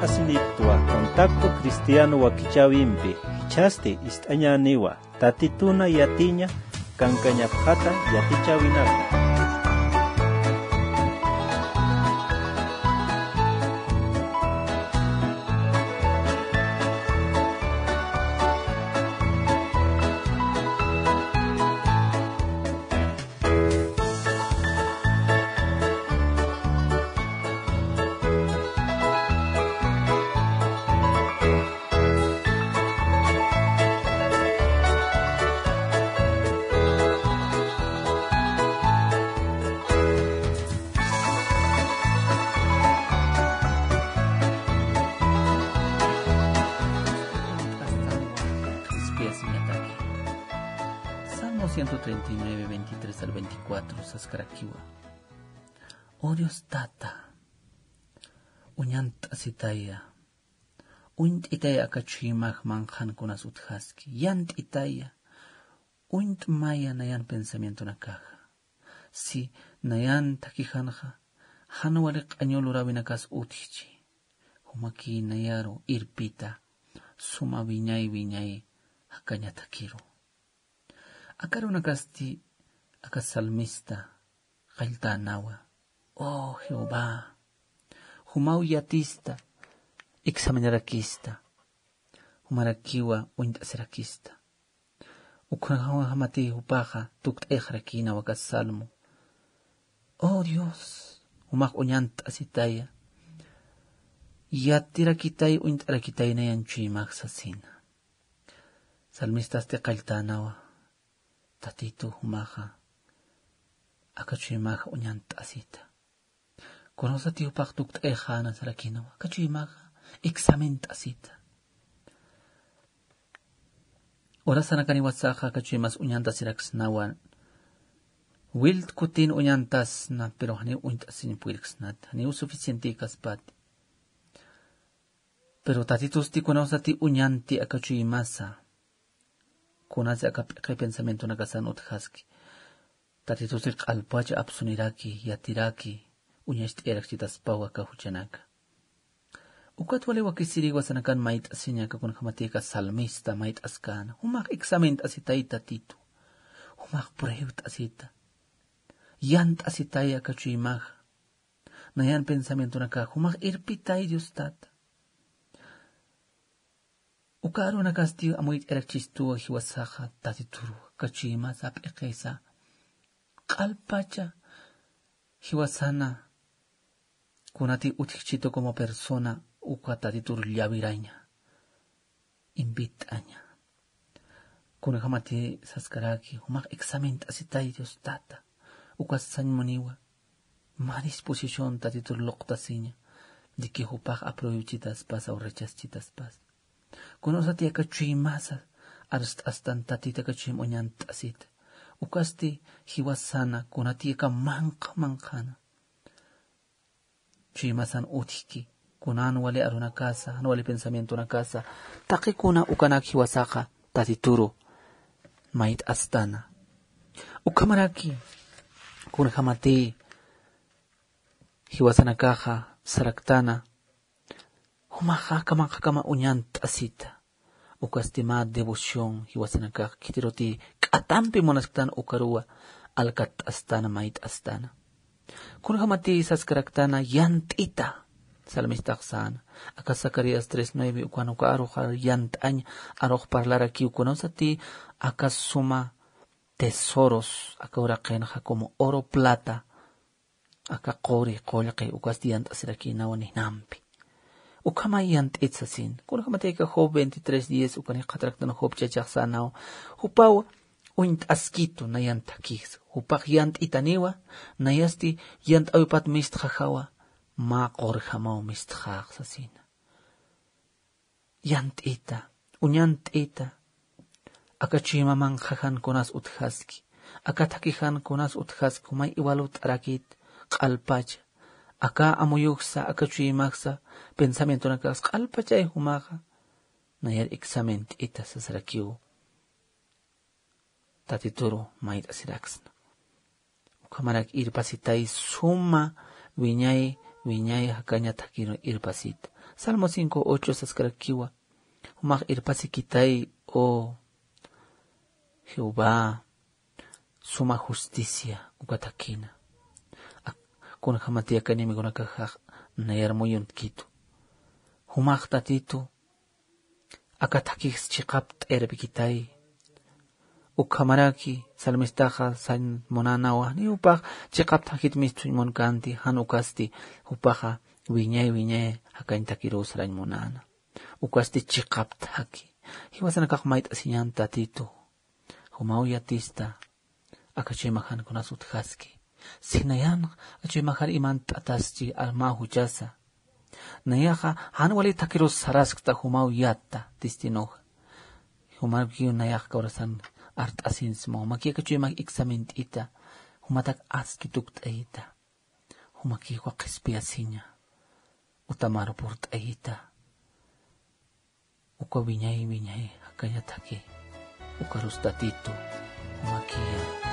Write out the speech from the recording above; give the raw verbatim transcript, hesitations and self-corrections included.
Asiniptwa Contacto Cristiano wakichäwimpi, jichhasti ist'añäniwa, Tatituna yatiña kankañapxata yatichäwinaka. Salmo ciento treinta y nueve, veintitrés al veinticuatro, saskarakiwa. Oh Dios Tata, uñant'asitaya, uñt'itaya aka chuymax manqhankunas utjaski, yant'itaya, uñt'maya nayan pensamientonakaxa. Si nayan thakixanxa, jan wali q'añu luräwinakas utjchi, jumakï nayaru irpita, suma wiñay wiñay jakaña thakiru. Aka arunakasti aka salmista qalltänawa: Oh Jehová, jumaw yatista, examinarakista, jumarakiwa uñt'asirakista. Ukhamati jupaxa tukt'ayxarakïnawa aka salmo: Oh Dios, jumax uñant'asitaya, yatirakitay, uñt'arakitay nayan chuymax sasina. Salmistasti qalltänawa: Tatitu, jumaxa aka chuymaxa uñant'asita. Kunasati jupax tukt'ayxäna sarakïnawa, aka chuymaxa examint'asita. Horasanakaniwasaxa aka chuymas uñant'asiraksnawa, wilt kutin uñantasna, pero janiw uñt'asiñ puyirksnat, janiw suficientïkaspati. Pero Tatitusti kunasati uñanti aka chuymasa, kunasa aka p'iqi pensamientonakasan utjaski, Tatitusti q'alpacha apsuniraki, yatiraki, uñacht'ayarakchitaspawa aka juchanaka. Ukat wali wakisiri jiwasanakan mayt'asiña, aka kunjamati aka salmista mayt'askäna: jumax examint'asitay Tatitu, jumax pruebt'asita, yant'asitay aka chuymaxa, nayan pensamientonakax, jumax irpitay Dios Tata. Uka arunakasti amuyt'ayarakchistuwa jiwasaxa Tatituru, aka chuymasa p'iqisa, q'alpacha jiwasana kunati utjchitu como persona, uka Tatitur llawiraña, invit'aña. Kunjamati saskaraki: jumax examint'asitay Dios Tata, ukas sañ muniwa, mä disposición Tatitur luqtasiña, de que jupax apruebchitaspas o rechazchitaspas. Kunasati aka chuymasa arst'astan Tatita aka chuym uñant'asita. Ukasti jiwasana kunati aka manqha manqhana chuymasan utjki, kunan wali arunakasa, jan wali pensamientonakasa, taqi kuna ukanak jiwasaxa Tatituru mayt'astana. Ukhamaraki kunjamati jiwasanakaxa saraktana: jumaxa aka manqhakama uñant'asita. Ukasti mä devoción jiwasanakax khitiruti k'atampi munasktan ukaruwa alkatt'astana, mayt'astana. Kunjamati saskaraktana: yant'ita. Salmistax säna, aka Zacarías tres nueve, ukan uka aruxar yant'añ, arux parlarakiw kunasati aka suma tesoros, aka uraqinxa como oro, plata, aka quri, qullqi, ukasti yant'asirakïnawa ninampi. Ukhamay yant'it sasin. Kunjamati aka Job veintitrés diez, ukan jikxataraktan Job chachax sänaw: jupaw uñt'askitu nayan thakix, jupax yant'itaniwa, nayasti yant'äwipat mistxajawa, mä qurjamaw mistxax sasina. Yant'ita, uñant'ita, aka chuyma manqhajan kunas utjaski, aka thakhijan kunas utjaski, jumay iwalut'arakit q'alpacha, aka amuyuxsa, aka chuymaxsa, pensamientonakax q'alpachay jumaxa, nayar examint'ita sasarakiw. Tatituru mayt'asiraksna. Ukhamarak irpasitay suma wiñay, wiñay jakaña thakhiru irpasita. Salmo cinco ocho saskarakiwa. Jumax irpasikitay, o Jehová, suma justicia uka thakina. Kunjamati aka enemigonakax nayar muyuntkitu. Jumax Tatitu aka thakix chiqapt'a irpikitay. Ukhamaraki salmistaxa sañ munänawa, ni jupax chiqap thakit misthuñ munkänti, jan ukasti jupaxa wiñay wiñay jakañ thakiruw sarañ munäna. Ukasti chiqap thaki. Jiwasanakax mayt'asiñän Tatitu. Jumaw yatista. Aka chuymax jan kunas utjaski. Si nayan aka chuymaxar imant'atasti armaw juchasa. Nayaxa jan wali thakirus saraskta jumaw yatta destinoxa. Jumakiw nayax kawrasan art'asinsma, jumaki aka chuymax examint'ita, jumatak aski tukt'ayita. Jumaki uka qhispiyasiña, utamar purt'ayita. Uka wiñay wiñay jakañataki, ukarus Tatitu, jumakiya.